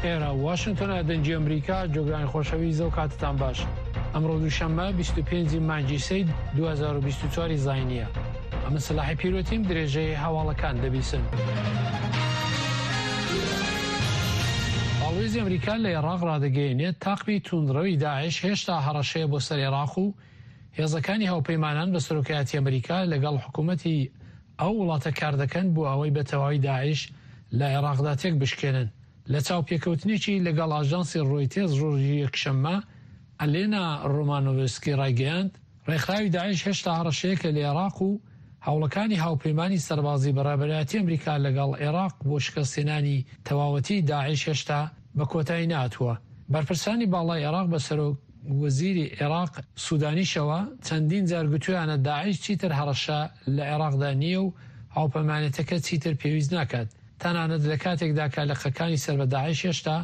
ئێرە واشنتۆنە دەنگی ئەمریکا جۆگرانی خۆشەویست ئەو کاتتان باش ئەمڕۆ دووشەممە 25 مانگی سەی 2024 زینیە ئەمن سەلاحی پیرۆتیم درێژەی هەواڵەکان دەبیسن. باڵوێزی ئەمریکا لە عێراق ڕادەگەیەنێت تاقمی توندڕەوی داعش هێشتا هەڕەشەیە بۆ سەر عێراق و هێزەکانی هاوپەیمانان بە سەرۆکایەتی ئەمریکا لەگەڵ حکوومەتی ئەو وڵاتە کاردەکەن بۆ ئەوەی بە تەواوی داعش لە عێراقدا تێک بشکێنن. لە چاوپێکەوتنێکی لەگەڵ ئاژانسی ڕۆیتێرز ڕۆژی یەکشەممە، ئەلێنا ڕۆمانۆڤسکی ڕایگەیاند، ڕێکخراوی داعش هێشتا هەڕەشەیەکە لە عێراق و هەوڵەکانی هاوپەیمانی سەربازی بە ڕابەرایەتی ئەمریکا لەگەڵ عێراق بۆ شکستهێنانی تەواوەتی داعش هێشتا بە کۆتایی نەهاتووە. بەرپرسانی باڵای عێراق بە سەرۆک وەزیری عێراق سودانیشەوە چەندین جار گوتویانە داعش چیتر هەڕەشە لە عێراقدا نییە و هاوپەیمانێتەکە چیتر پێویست ناکات تەنانەت لە کاتێکدا کە لقەکانی سەر بە داعش هێشتا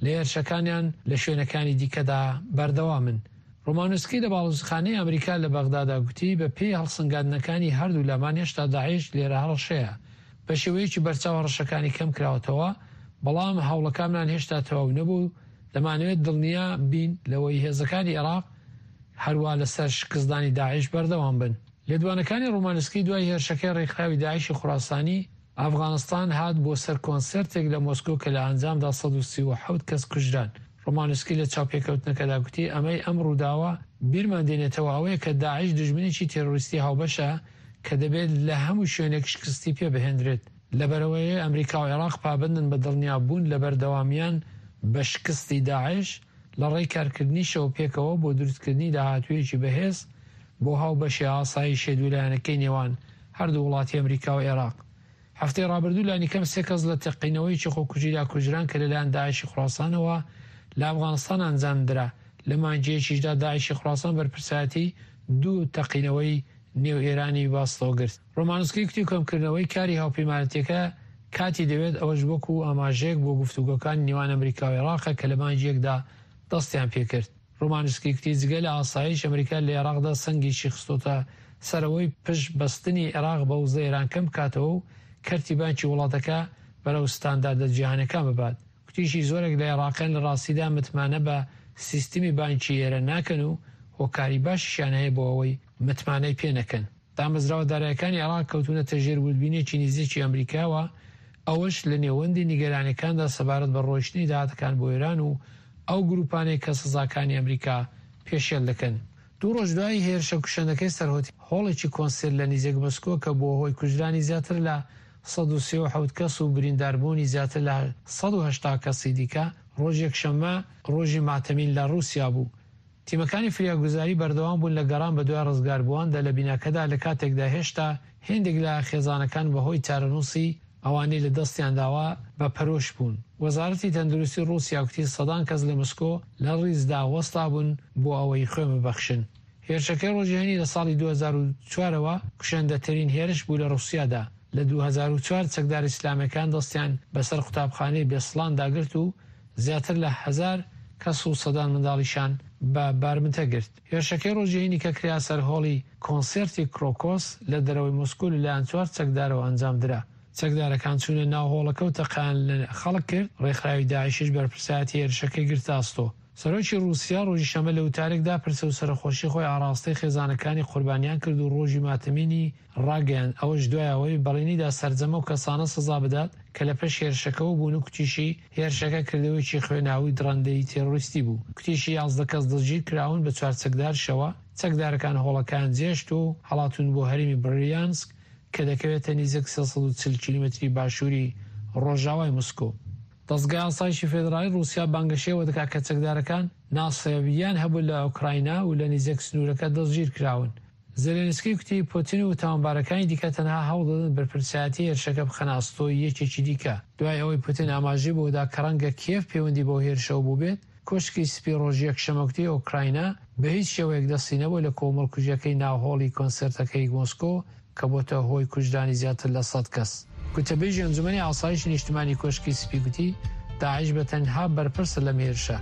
لە هێرشەکانیان لە شوێنەکانی دیکەدا بەردەوامن. ڕۆمانۆسکی لە باڵوزخانەی ئەمریکا لە بەغدادا گوتی بە پێی هەڵسەنگاندنەکانی هەردوو لامان هێشتا داعش لێرە هەڕەشەیە. بە شێوەیەکی بەرچاو هەڕەشەکانی کەم کراوەتەوە، بەڵام هەوڵەکانمان هێشتا تەواو نەبوو و دەمانەوێت دڵنیا بین لەوەی هێزەکانی عێراق هەروا لەسەر شکستدانی داعش بەردەوام بن. لێدوانەکانی ڕۆمانسکی دوای هێرشەکەی ڕێکخراوی داعشی خوراسانی ئەفغانستان هات بۆ سەر کۆنسێرتێک لە مۆسکۆ کە لە ئەنجامدا 137 کەس کوژران. ڕۆمانسکی لە چاوپێکەوتنەکەدا گوتی ئەمەی ئەم ڕووداوە بیرمان دێنێتەوە ئەوەیە کە داعش دوژمنێکی تێرۆریستی هاوبەشە کە دەبێت لە هەموو شوێنێک شکستی پێ بهێندرێت. لەبەرئەوەی ئەمریکا و عێراق پابەندن بە دڵنیابوون لە بەردەوامیان بە شکستی داعش، لە ڕێی کارکردنیشەوە پێکەوە بۆ دروستکردنی داهاتوویەکی بەهێز بۆ هاوبەشی ئاسایشیە دوولایەنەکەی نێوان هەردوو وڵاتی ئەمریکا و عێراق. هەفتەی ڕابردوو لانیکەم سێ کەس لە تەقینەوەیەکی خۆکوژیدا کوژران کە لەلایەن داعشی خوراسانەوە لە ئەفغانستان ئەنجامدرا، لە مانگیەکیشدا داعشی خوراسان بەرپرسایەتی دوو تەقینەوەی نێو ئێرانی بەئەستۆ گرت. ڕۆمانسکی کوتی کەمکردنەوەی کاری هاوپەیمانەتیەکە کاتی دەوێت، ئەوەش وەکو ئاماژەیەک بۆ گفتوگۆکانی نێوان ئەمریکا و عێراقە کە لە مانگی یەکدا دەستیان پێکرد. ڕۆمانسکی کوتی جگە لە ئاسایش، ئەمریکا لە عێراقدا سەنگێکی خستۆتە سەر ئەوەی پشت بەستنی عێراق بە وزەی ئێران کەم بکاتەوە و کەرتی بانکی وڵاتەکە بەرەو ستانداردە جیهانیەکان ببات. کوتیشی زۆرێک لە عێراقیان لە ڕاستیدا متمانە بە سیستمی بانکی ئێران ناکەن و هۆکاری باشیشیان هەیە بۆ ئەوەی متمانەی پێ نەکەن. دامەزراوە دارایەکانی عێراق کەوتوونەتە ژێر وردبینییەکی نزیکی ئەمریکاوە، ئەوەش لە نێوەندی نیگەرانییەکاندا سەبارەت بە ڕۆیشتنی داهاتەکان بۆ ئێران و ئەو گرووپانەی کە سزاکانی ئەمریکا پێشێل دەکەن. دوو ڕۆژ دوای هێرشە کوشندەکەی سەر هۆڵێکی کۆنسێرت لە نزیک مۆسکۆ کە بووە هۆی کوژرانی زیاتر لە 137 کەس و برینداربوونی زیاتر لە 180 کەسی دیکە، ڕۆژی یەکشەممە ڕۆژی ماتەمین لە ڕووسیا بوو. تیمەکانی فریاگوزاری بەردەوام بوون لە گەڕان بەدوای ڕزگاربوواندا لە بیناکەدا لە کاتێکدا هێشتا هێندێک لە خێزانەکان بەهۆی چارەنووسی ئەوانەی لە دەستیان داوە بە پەرۆش بوون. وەزارەتی تەندروستی ڕووسیا کوتی سەدان کەس لە مسکۆ لە ڕیزدا وەستابوون بۆ ئەوەی خوێن ببەخشن. هێرشەکەی ڕۆژی هەینی لە ساڵی 2004 ەوە کوشندەترین هێرش بوو لە ڕووسیادا. لە 2004 چەکدارە ئیسلامیەکان دەستیان بەسەر قوتابخانەی بێسڵاندا گرت و زیاتر لە هەزار کەس و سەدان منداڵیشان بە بارمتە گرت. هێرشەکەی ڕۆژی هەینی کە کرا سەر هۆڵی کۆنسێرتی کرۆکۆس لە دەرەوەی مۆسکۆ لەلایەن چوار چەکدارەوە ئەنجامدرا. چەکدارەکان چوونە ناو هۆڵەکە و تەقەیان لە خەڵک کرد، ڕێکخراوی داعشیش بەرپرسایەتی هێرشەکەی گرتە ئەستۆ. سەرۆکی ڕووسیا ڕۆژی شەممە لە وتارێکدا پرسە و سەرەخۆشی خۆی ئاڕاستەی خێزانەکانی قوربانیان کرد و ڕۆژی ماتەمینی ڕاگەیاند، ئەوەش دوای ئەوەی بەڵێنیدا سەرجەم ئەو کەسانە سزا بدات کە لە پشت هێرشەکەوە بوون و کوتیشی، هێرشەکە کردەوەیەکی خوێناوی و دڕەندەیی تێرۆریستی بوو. کوتیشی، 11 کەس دەستگیرکراون بە چوار چەکدارشەوە، چەکدارەکان هۆڵەکەیان جێهێشت و هەڵاتوون بۆ هەرێمی بریانسک کە دەکەوێتە نیزک 340 کیلۆمەتری باشووری ڕۆژاوای مسکۆ. دەزگای ئاسایشی فێدراڵی ڕووسیا بانگەشەی ئەوە دەکات کە چەکدارەکان ناسیاوییان هەبوو لە ئۆکراینا و لە نیزک سنوورەکە دەستگیرکراون. زێلێنسکی کوتی، پوتین و تاوانبارەکانی دیکە تەنها هەوڵدەدەن بەرپرسایەتی هێرشەکە بخەنە ئەستۆی یەکێکی دیکە. دوای ئەوەی پوتین ئاماژەی بەوەدا کە ڕەنگە کیێڤ پەیوەندی بەو هێرشەوە بووبێت، کۆشکی سپی ڕۆژی یەکشەممە کوتی ئۆکراینا بە هیچ شێوەیەک دەستی نەبووە لە کۆمەڵکوژییەکەی ناو هۆڵی کۆنسێرتەکەی مۆسکۆ کە بۆتە هۆی کوژرانی زیاتر لە 100 کەس. گوتەبێژی ئەنجومەنی ئاسایشی نیشتمانی کۆشکی سپی گوتی، داعش بە تەنها بەرپرسە لەم هێرشە.